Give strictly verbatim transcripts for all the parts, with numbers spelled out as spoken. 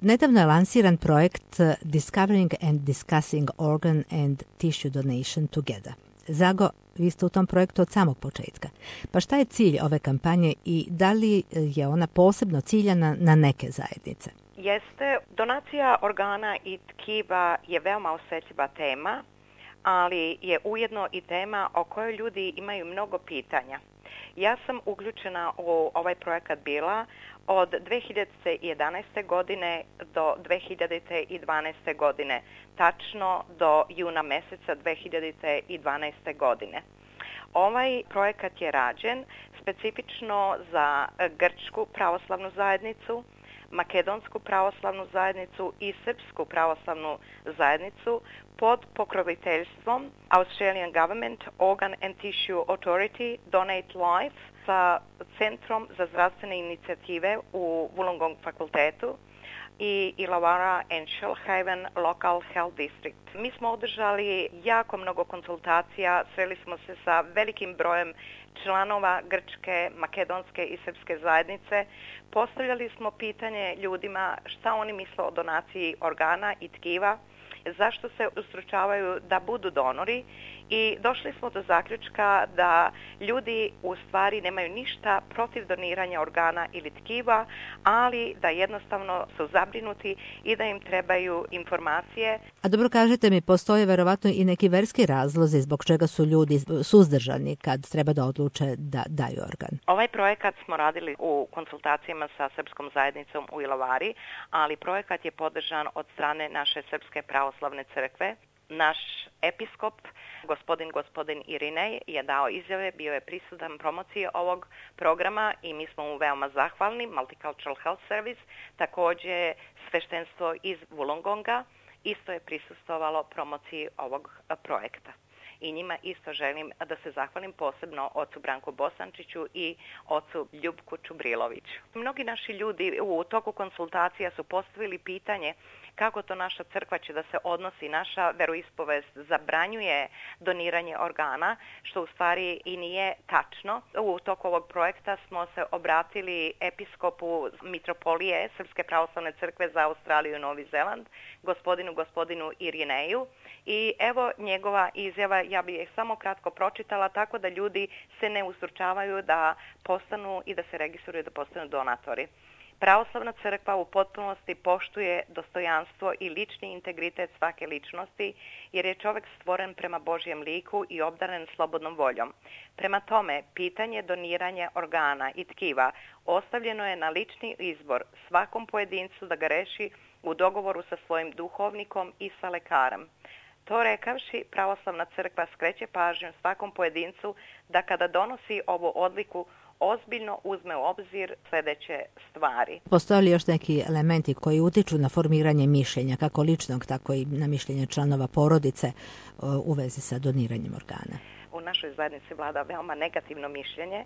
Nedavno je lansiran projekt Discovering and Discussing Organ and Tissue Donation Together. Zago, vi ste u tom projektu od samog početka. Pa šta je cilj ove kampanje i da li je ona posebno ciljana na neke zajednice? Jeste, donacija organa i tkiva je veoma osjetljiva tema, ali je ujedno i tema o kojoj ljudi imaju mnogo pitanja. Ja sam uključena u ovaj projekat bila od dve hiljade jedanaeste. godine do dve hiljade dvanaeste. godine, tačno do juna meseca dve hiljade dvanaeste. godine. Ovaj projekat je rađen specifično za Grčku pravoslavnu zajednicu, Makedonsku pravoslavnu zajednicu i Srpsku pravoslavnu zajednicu pod pokroviteljstvom Australian Government Organ and Tissue Authority Donate Life sa Centrom za zdravstvene inicijative u Wollongong fakultetu i Illawarra and Shoalhaven Local Health District. Mi smo održali jako mnogo konsultacija, sreli smo se sa velikim brojem članova Grčke, Makedonske i Srpske zajednice. Postavljali smo pitanje ljudima šta oni misle o donaciji organa i tkiva, zašto se ustručavaju da budu donori i došli smo do zaključka da ljudi u stvari nemaju ništa protiv doniranja organa ili tkiva, ali da jednostavno su zabrinuti i da im trebaju informacije. A dobro, kažete mi, postoje verovatno i neki verski razlozi zbog čega su ljudi suzdržani kad treba da odluče da daju organ. Ovaj projekat smo radili u konsultacijama sa Srpskom zajednicom u Illawarri, ali projekat je podržan od strane naše Srpske pravoslavne crkve. Naš episkop, gospodin gospodin Irinej, je dao izjave, bio je prisutan promociji ovog programa i mi smo mu veoma zahvalni. Multicultural Health Service, također sveštenstvo iz Wollongonga, isto je prisustvovalo promociji ovog projekta. I njima isto želim da se zahvalim posebno ocu Branku Bosančiću i ocu Ljubku Čubriloviću. Mnogi naši ljudi u toku konsultacija su postavili pitanje kako to naša crkva će da se odnosi, naša veroispovest zabranjuje doniranje organa, što u stvari i nije tačno. U toku ovog projekta smo se obratili episkopu mitropolije Srpske pravoslavne crkve za Australiju i Novi Zeland, gospodinu gospodinu Irineju, i evo njegova izjava, ja bih je samo kratko pročitala, tako da ljudi se ne ustručavaju da postanu i da se registruju da postanu donatori. Pravoslavna crkva u potpunosti poštuje dostojanstvo i lični integritet svake ličnosti, jer je čovjek stvoren prema Božjem liku i obdaren slobodnom voljom. Prema tome, pitanje doniranja organa i tkiva ostavljeno je na lični izbor svakom pojedincu da ga reši u dogovoru sa svojim duhovnikom i sa lekarem. To rekavši, pravoslavna crkva skreće pažnju svakom pojedincu da kada donosi ovu odliku ozbiljno uzme u obzir sljedeće stvari. Postoje li još neki elementi koji utiču na formiranje mišljenja, kako ličnog, tako i na mišljenje članova porodice u vezi sa doniranjem organa? U našoj zajednici vlada veoma negativno mišljenje.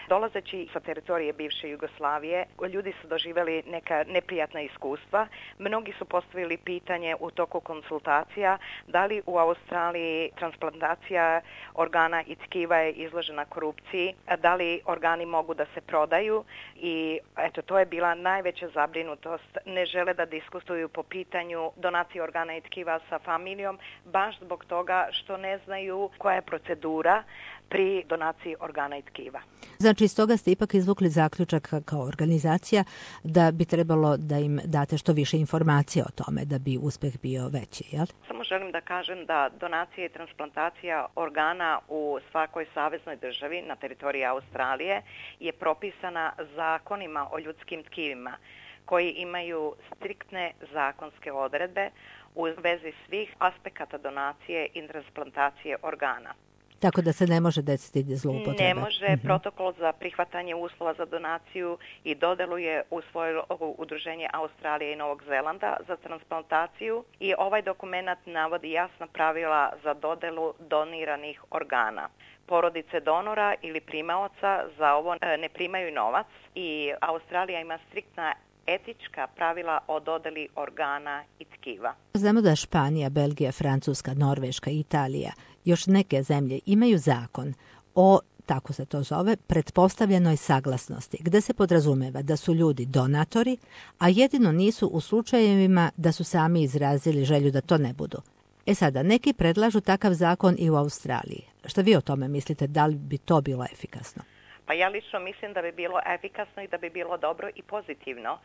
Dolazeći sa teritorije bivše Jugoslavije, ljudi su doživjeli neka neprijatna iskustva. Mnogi su postavili pitanje u toku konsultacija da li u Australiji transplantacija organa i tkiva je izložena korupciji, da li organi mogu da se prodaju i eto, to je bila najveća zabrinutost. Ne žele da diskutuju po pitanju donacije organa i tkiva sa familijom, baš zbog toga što ne znaju koja je procedura pri donaciji organa i tkiva. Znači, iz toga ste ipak izvukli zaključak kao organizacija da bi trebalo da im date što više informacija o tome da bi uspeh bio veći, jel? Samo želim da kažem da donacija i transplantacija organa u svakoj saveznoj državi na teritoriji Australije je propisana zakonima o ljudskim tkivima koji imaju striktne zakonske odredbe u vezi svih aspekata donacije i transplantacije organa. Tako da se ne može desiti zloupotrebe. Ne može. Mm-hmm. Protokol za prihvatanje uslova za donaciju i dodelu je usvojilo Udruženje Australije i Novog Zelanda za transplantaciju i ovaj dokument navodi jasna pravila za dodelu doniranih organa. Porodice donora ili primaoca za ovo ne primaju novac i Australija ima striktna etička pravila o dodeli organa i tkiva. Znamo da Španija, Belgija, Francuska, Norveška i Italija, još neke zemlje imaju zakon o tako se to zove, pretpostavljenoj saglasnosti, gde se podrazumeva da su ljudi donatori, a jedino nisu u slučajevima da su sami izrazili želju da to ne budu. E sada, neki predlažu takav zakon i u Australiji. Šta vi o tome mislite, da li bi to bilo efikasno? Pa ja lično mislim da bi bilo efikasno i da bi bilo dobro i pozitivno,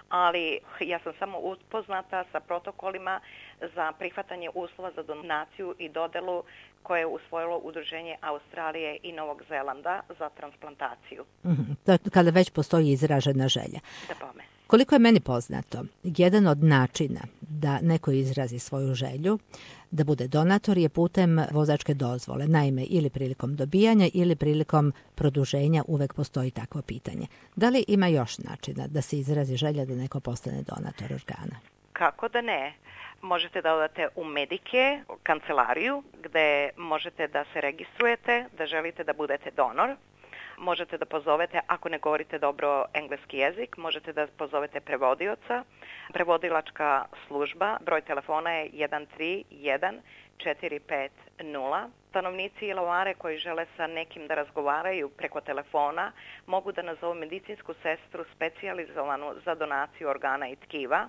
ali ja sam samo upoznata sa protokolima za prihvatanje uslova za donaciju i dodelu koje je usvojilo Udruženje Australije i Novog Zelanda za transplantaciju. Mm-hmm. Kada već postoji izražena želja. Da bome. Koliko je meni poznato, jedan od načina da neko izrazi svoju želju da bude donator je putem vozačke dozvole. Naime, ili prilikom dobijanja ili prilikom produženja uvek postoji takvo pitanje. Da li ima još načina da se izrazi želja da neko postane donator organa? Kako da ne? Možete da odate u Medike, kancelariju, gde možete da se registrujete, da želite da budete donor. Možete da pozovete, ako ne govorite dobro engleski jezik, možete da pozovete prevodioca. Prevodilačka služba, broj telefona je jedan tri jedan četiri pet nula. Stanovnici Ilovare koji žele sa nekim da razgovaraju preko telefona mogu da nazovu medicinsku sestru specijalizovanu za donaciju organa i tkiva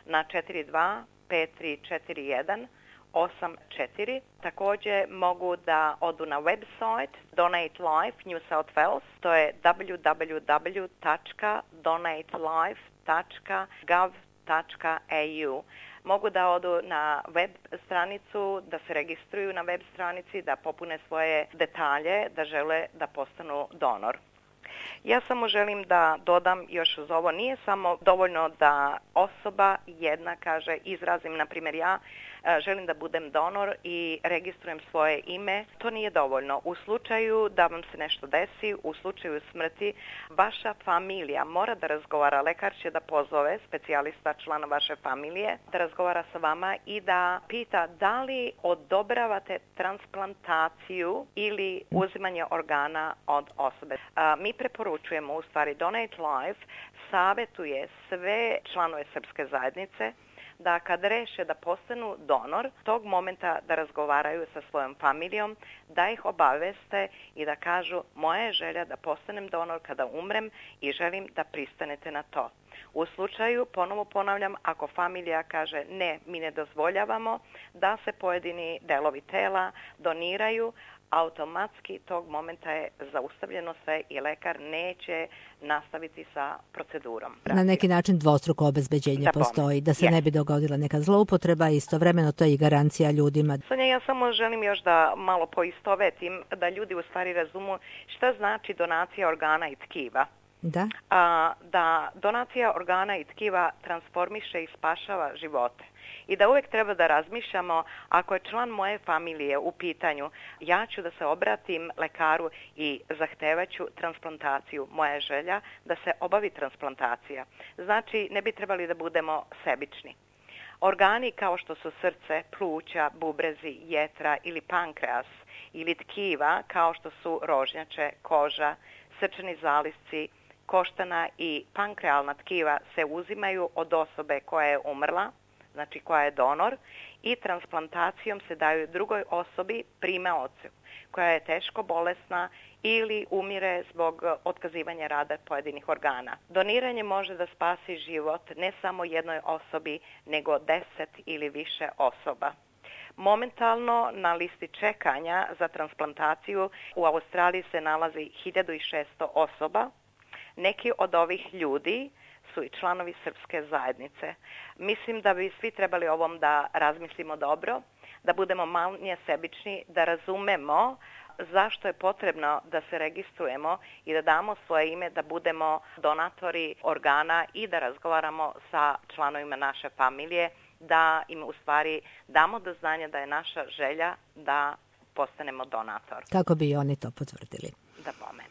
na četiri dva pet tri četiri jedan osam četiri. Također mogu da odu na website Donate Life New South Wales, to je w w w tačka donate life tačka gov tačka a u. Mogu da odu na web stranicu, da se registruju na web stranici, da popune svoje detalje, da žele da postanu donor. Ja samo želim da dodam još uz ovo, nije samo dovoljno da osoba jedna kaže, izrazim, na primjer ja, želim da budem donor i registrujem svoje ime. To nije dovoljno. U slučaju da vam se nešto desi, u slučaju smrti, vaša familija mora da razgovara, lekar će da pozove specijalista, člana vaše familije, da razgovara sa vama i da pita da li odobravate transplantaciju ili uzimanje organa od osobe. A, mi preporučujemo, u stvari Donate Life savjetuje sve članove srpske zajednice da kad reše da postanu donor, tog momenta da razgovaraju sa svojom familijom, da ih obaveste i da kažu moja je želja da postanem donor kada umrem i želim da pristanete na to. U slučaju, ponovo ponavljam, ako familija kaže ne, mi ne dozvoljavamo da se pojedini delovi tela doniraju, automatski tog momenta je zaustavljeno sve i lekar neće nastaviti sa procedurom. Na neki način dvostruko obezbeđenje da postoji, da se yes. ne bi dogodila neka zloupotreba i istovremeno to je i garancija ljudima. Sonja, ja samo želim još da malo poistovetim, da ljudi u stvari razumu šta znači donacija organa i tkiva. Da? A, da donacija organa i tkiva transformiše i spašava živote. I da uvijek treba da razmišljamo, ako je član moje familije u pitanju, ja ću da se obratim lekaru i zahtevaću transplantaciju. Moja je želja da se obavi transplantacija. Znači, ne bi trebali da budemo sebični. Organi kao što su srce, pluća, bubrezi, jetra ili pankreas ili tkiva kao što su rožnjače, koža, srčani zalisci, koštana i pankrealna tkiva se uzimaju od osobe koja je umrla, znači koja je donor, i transplantacijom se daju drugoj osobi, primaocu, koja je teško bolesna ili umire zbog otkazivanja rada pojedinih organa. Doniranje može da spasi život ne samo jednoj osobi, nego deset ili više osoba. Momentalno na listi čekanja za transplantaciju u Australiji se nalazi hiljadu šesto osoba. Neki od ovih ljudi su i članovi srpske zajednice. Mislim da bi svi trebali ovom da razmislimo dobro, da budemo manje sebični, da razumemo zašto je potrebno da se registrujemo i da damo svoje ime, da budemo donatori organa i da razgovaramo sa članovima naše familije, da im u stvari damo do znanja da je naša želja da postanemo donator. Kako bi oni to potvrdili? Da bome.